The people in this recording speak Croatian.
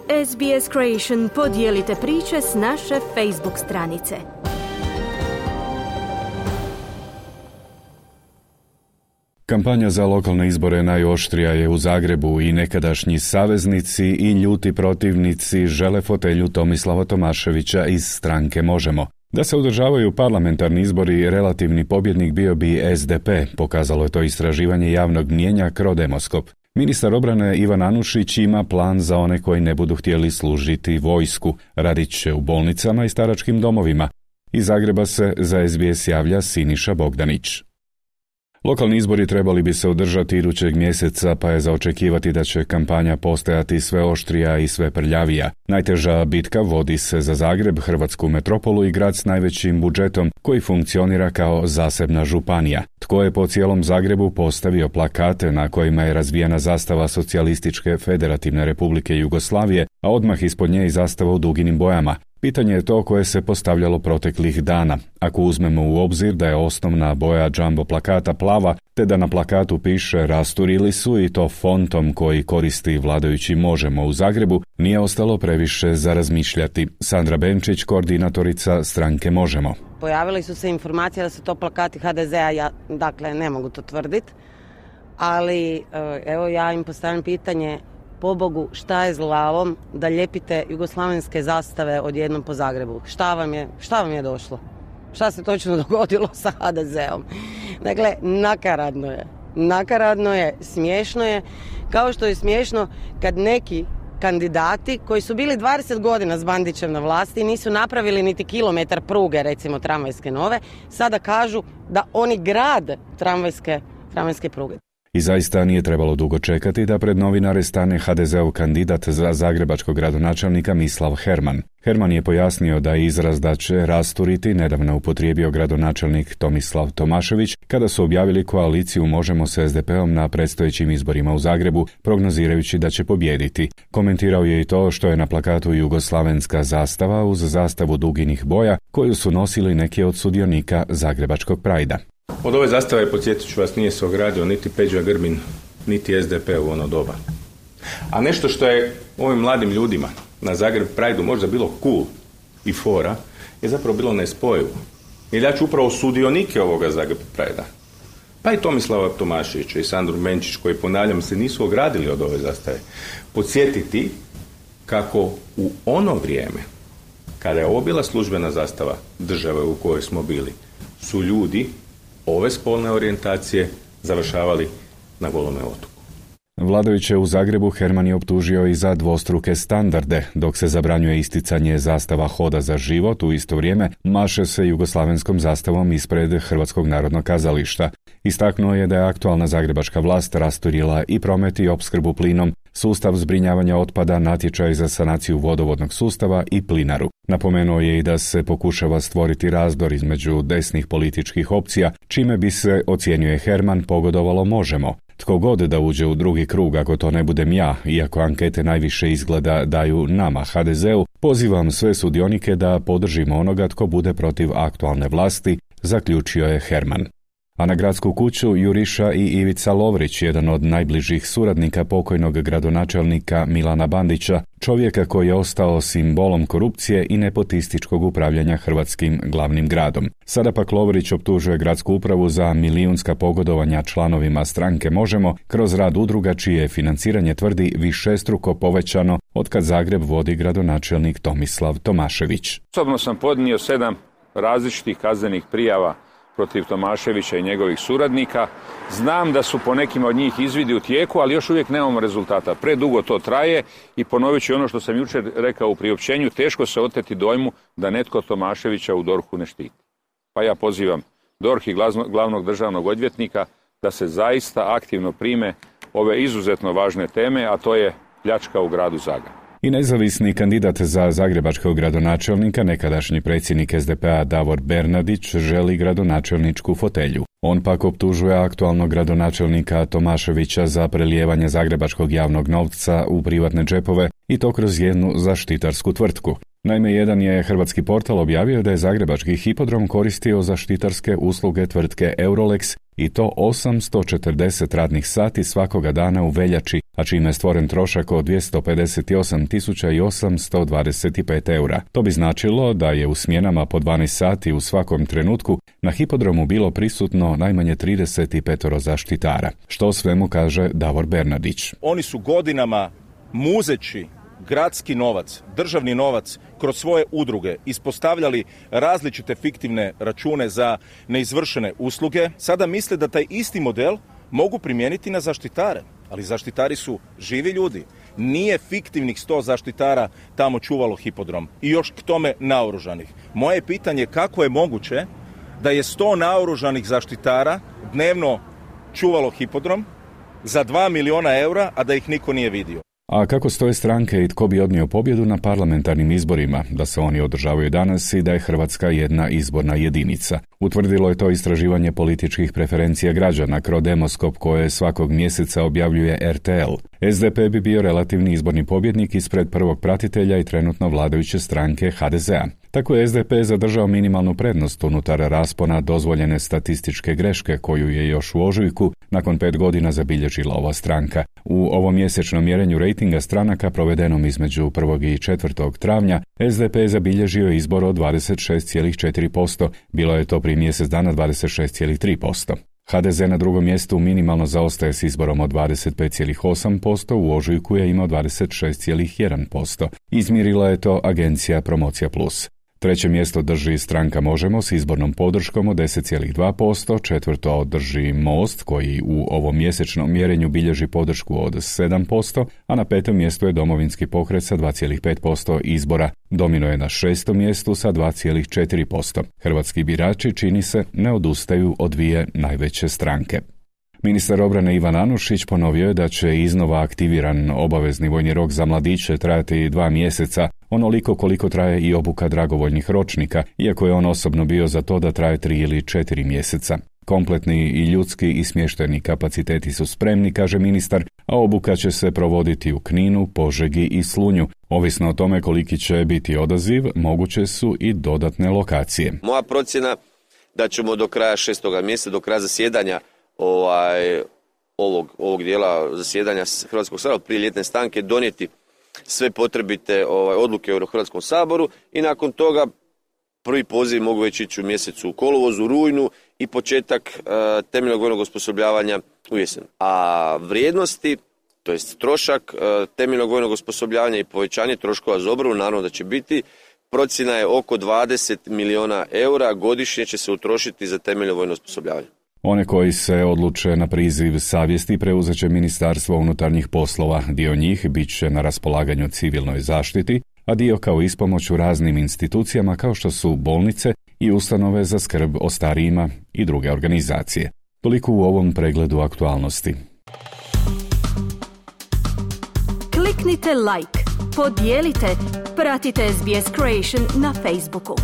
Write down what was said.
SBS Creation podijelite priče s naše Facebook stranice. Kampanja za lokalne izbore najoštrija je u Zagrebu i nekadašnji saveznici i ljuti protivnici žele fotelju Tomislava Tomaševića iz stranke Možemo. Da se održavaju parlamentarni izbori, relativni pobjednik bio bi SDP, pokazalo je to istraživanje javnog mnijenja Crodemoskop. Ministar obrane Ivan Anušić ima plan za one koji ne budu htjeli služiti vojsku. Radit će u bolnicama i staračkim domovima. Iz Zagreba se za SBS javlja Siniša Bogdanić. Lokalni izbori trebali bi se održati idućeg mjeseca, pa je za očekivati da će kampanja postajati sve oštrija i sve prljavija. Najteža bitka vodi se za Zagreb, hrvatsku metropolu i grad s najvećim budžetom, koji funkcionira kao zasebna županija. Tko je po cijelom Zagrebu postavio plakate na kojima je razvijena zastava Socijalističke Federativne Republike Jugoslavije, a odmah ispod nje i zastava u duginim bojama? Pitanje je to koje se postavljalo proteklih dana. Ako uzmemo u obzir da je osnovna boja jumbo plakata plava, te da na plakatu piše rasturili su i to fontom koji koristi vladajući Možemo u Zagrebu, nije ostalo previše za razmišljati. Sandra Benčić, koordinatorica stranke Možemo. Pojavili su se informacije da su to plakati HDZ-a, ja dakle ne mogu to tvrditi, ali evo ja im postavljam pitanje, pobogu, šta je s glavom da lijepite jugoslavenske zastave odjednom po Zagrebu? Šta vam je došlo? Šta se točno dogodilo sa HDZ-om? Dakle, nakaradno je, smiješno je, kao što je smiješno kad neki kandidati koji su bili 20 godina s Bandićem na vlasti nisu napravili niti kilometar pruge, recimo tramvajske nove, sada kažu da oni grade tramvajske pruge. I zaista nije trebalo dugo čekati da pred novinare stane HDZ-ov kandidat za zagrebačkog gradonačelnika Mislav Herman. Herman je pojasnio da je izraz da će rasturiti nedavno upotrijebio gradonačelnik Tomislav Tomašević kada su objavili koaliciju Možemo s SDP-om na predstojećim izborima u Zagrebu, prognozirajući da će pobijediti. Komentirao je i to što je na plakatu jugoslavenska zastava uz zastavu duginih boja koju su nosili neki od sudionika zagrebačkog Prajda. Od ove zastave, podsjetit ću vas, nije se ogradio niti Peđa Grbin, niti SDP u ono doba. A nešto što je ovim mladim ljudima na Zagreb Prideu možda bilo cool i fora, je zapravo bilo nespojivo. Jer ja ću upravo sudionike ovoga Zagreb Pridea, pa i Tomislava Tomaševića i Sandru Benčić, koji, ponavljam, se nisu ogradili od ove zastave, podsjetiti kako u ono vrijeme, kada je ovo bila službena zastava države u kojoj smo bili, su ljudi ove spolne orijentacije završavali na Golome otoku. Vladajuće u Zagrebu Herman je optužio i za dvostruke standarde. Dok se zabranjuje isticanje zastava Hoda za život, u isto vrijeme maše se jugoslavenskom zastavom ispred Hrvatskog narodnog kazališta. Istaknuo je da je aktualna zagrebačka vlast rasturila i promet i opskrbu plinom, sustav zbrinjavanja otpada, natječaj za sanaciju vodovodnog sustava i plinaru. Napomenuo je i da se pokušava stvoriti razdor između desnih političkih opcija, čime bi se, ocjenjuje Herman, pogodovalo Možemo. Tko god da uđe u drugi krug, ako to ne budem ja, iako ankete najviše izgleda daju nama, HDZ-u, pozivam sve sudionike da podržimo onoga tko bude protiv aktualne vlasti, zaključio je Herman. A na gradsku kuću juriša i Ivica Lovrić, jedan od najbližih suradnika pokojnog gradonačelnika Milana Bandića, čovjeka koji je ostao simbolom korupcije i nepotističkog upravljanja hrvatskim glavnim gradom. Sada pak Lovrić optužuje gradsku upravu za milijunska pogodovanja članovima stranke Možemo kroz rad udruga čije je financiranje, tvrdi, višestruko povećano otkad Zagreb vodi gradonačelnik Tomislav Tomašević. Osobno sam podnio 7 različitih kaznenih prijava protiv Tomaševića i njegovih suradnika. Znam da su po nekima od njih izvidi u tijeku, ali još uvijek nemamo rezultata. Predugo to traje i ponovit ću ono što sam jučer rekao u priopćenju, teško se oteti dojmu da netko Tomaševića u DORH-u ne štiti. Pa ja pozivam DORH i glavnog državnog odvjetnika da se zaista aktivno prime ove izuzetno važne teme, a to je pljačka u gradu Zagrebu. I nezavisni kandidat za zagrebačkog gradonačelnika, nekadašnji predsjednik SDP-a Davor Bernardić, želi gradonačelničku fotelju. On pak optužuje aktualnog gradonačelnika Tomaševića za prelijevanje zagrebačkog javnog novca u privatne džepove i to kroz jednu zaštitarsku tvrtku. Naime, jedan je hrvatski portal objavio da je zagrebački hipodrom koristio zaštitarske usluge tvrtke Eurolex i to 840 radnih sati svakoga dana u veljači, a čime je stvoren trošak od 258.825 eura. To bi značilo da je u smjenama po 12 sati u svakom trenutku na hipodromu bilo prisutno najmanje 35 zaštitara, što o svemu kaže Davor Bernardić. Oni su godinama muzeći gradski novac, državni novac kroz svoje udruge ispostavljali različite fiktivne račune za neizvršene usluge. Sada misle da taj isti model mogu primijeniti na zaštitare, ali zaštitari su živi ljudi. Nije fiktivnih 100 zaštitara tamo čuvalo hipodrom i još k tome naoružanih. Moje pitanje je kako je moguće da je 100 naoružanih zaštitara dnevno čuvalo hipodrom za 2 miliona eura, a da ih niko nije vidio. A kako stoje stranke i tko bi odnio pobjedu na parlamentarnim izborima, da se oni održavaju danas i da je Hrvatska jedna izborna jedinica? Utvrdilo je to istraživanje političkih preferencija građana Crodemoskop koje svakog mjeseca objavljuje RTL. SDP bi bio relativni izborni pobjednik ispred prvog pratitelja i trenutno vladajuće stranke HDZ-a. Tako je SDP zadržao minimalnu prednost unutar raspona dozvoljene statističke greške koju je još u ožujku nakon 5 godina zabilježila ova stranka. U ovom mjesečnom mjerenju rejtinga stranaka provedenom između 1. i 4. travnja SDP je zabilježio izbor od 26,4%, bilo je to prije mjesec dana 26,3%. HDZ na drugom mjestu minimalno zaostaje s izborom od 25,8%, u ožujku je imao 26,1%. Izmjerila je to agencija Promocija Plus. Treće mjesto drži stranka Možemo s izbornom podrškom od 10,2%, četvrto drži Most koji u ovom mjesečnom mjerenju bilježi podršku od 7%, a na petom mjestu je Domovinski pokret sa 2,5% izbora. Domino je na šestom mjestu sa 2,4%. Hrvatski birači, čini se, ne odustaju od dvije najveće stranke. Ministar obrane Ivan Anušić ponovio je da će iznova aktiviran obavezni vojni rok za mladiće trajati 2 mjeseca, onoliko koliko traje i obuka dragovoljnih ročnika, iako je on osobno bio za to da traje 3 ili 4 mjeseca. Kompletni i ljudski i smještajni kapaciteti su spremni, kaže ministar, a obuka će se provoditi u Kninu, Požegi i Slunju. Ovisno o tome koliki će biti odaziv, moguće su i dodatne lokacije. Moja procjena da ćemo do kraja 6. mjeseca, do kraja zasjedanja ovog dijela zasjedanja Hrvatskog sabora prije ljetne stanke donijeti sve potrebite odluke u Hrvatskom saboru i nakon toga prvi poziv mogu već ići u mjesecu kolovozu, rujnu i početak temeljnog vojnog osposobljavanja u jesen. A vrijednosti, to jest trošak temeljnog vojnog osposobljavanja i povećanje troškova za obranu, naravno da će biti, procjena je oko 20 milijuna eura godišnje će se utrošiti za temeljno vojno osposobljavanje. One koji se odluče na priziv savjesti preuzet će Ministarstvo unutarnjih poslova. Dio njih bit će na raspolaganju civilnoj zaštiti, a dio kao ispomoć u raznim institucijama kao što su bolnice i ustanove za skrb o starijima i druge organizacije. Toliko u ovom pregledu aktualnosti. Kliknite like, podijelite, pratite SBS Creation na Facebooku.